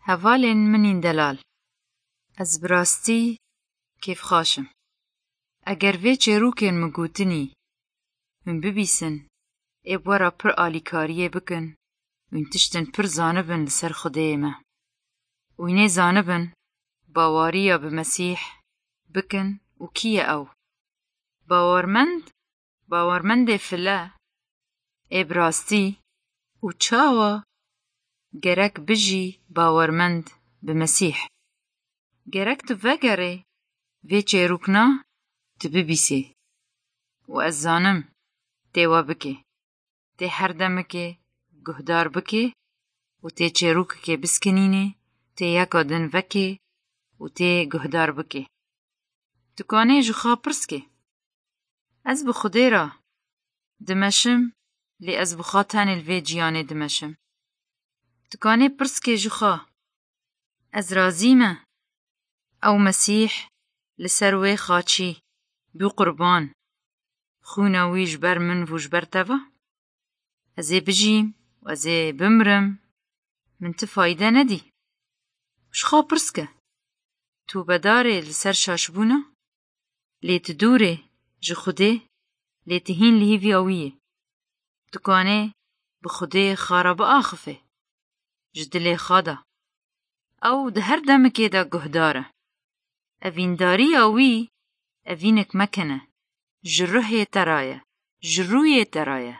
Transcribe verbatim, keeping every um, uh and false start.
Hevalên min ên delal, ez bi rastî kêfxweş im. Eger vê çîrokên min gotinî hûn bibihîsin, ê bi we re pir alîkariyê bikin, hûn tiştên pir zanibin li ser Xwedayê me. Hûn ê zanibin baweriya bi Mesîh bikin û kî ye ew. Bawermend, bawermendê file ê bi rastî û çawa gerek bijî bawermend bi Mesîh. Gerek tu vegerî vê çîrokna tu bibihîsî. Û ez zanim tê we bike. Tê her demekê guhdar bike û tê çîrokekê bisekinînî, tê yeka din veke û tê guhdar bike. Tu kanî ji xwe pirs bikî. Ez bi Xwedê re dimeşim lê ez bi xwe tenê li vê jiyanê dimeşim. Tu kanî pirs bikî ji xwe. Ez razî me ew Mesîh li ser wê xaçî bû qurban. Xwîna wî ji ber min û ji ber te ve? Ez ê bijîm û ez ê bimirim, min ti fayde nedî. Ji xwe pirs bike. Tu bedarê li ser şaşbûna? Lê tu dûr î ji Xwedê, lê tu hîn li hêviya wî yî. Tu kanî bi Xwedê xwe re biaxivî ji dilê xwe de. Ew di her demekê de guhdar e. Evîndariya wî evînek mekene, ji ruhê te re ye, ji rûyê te re ye.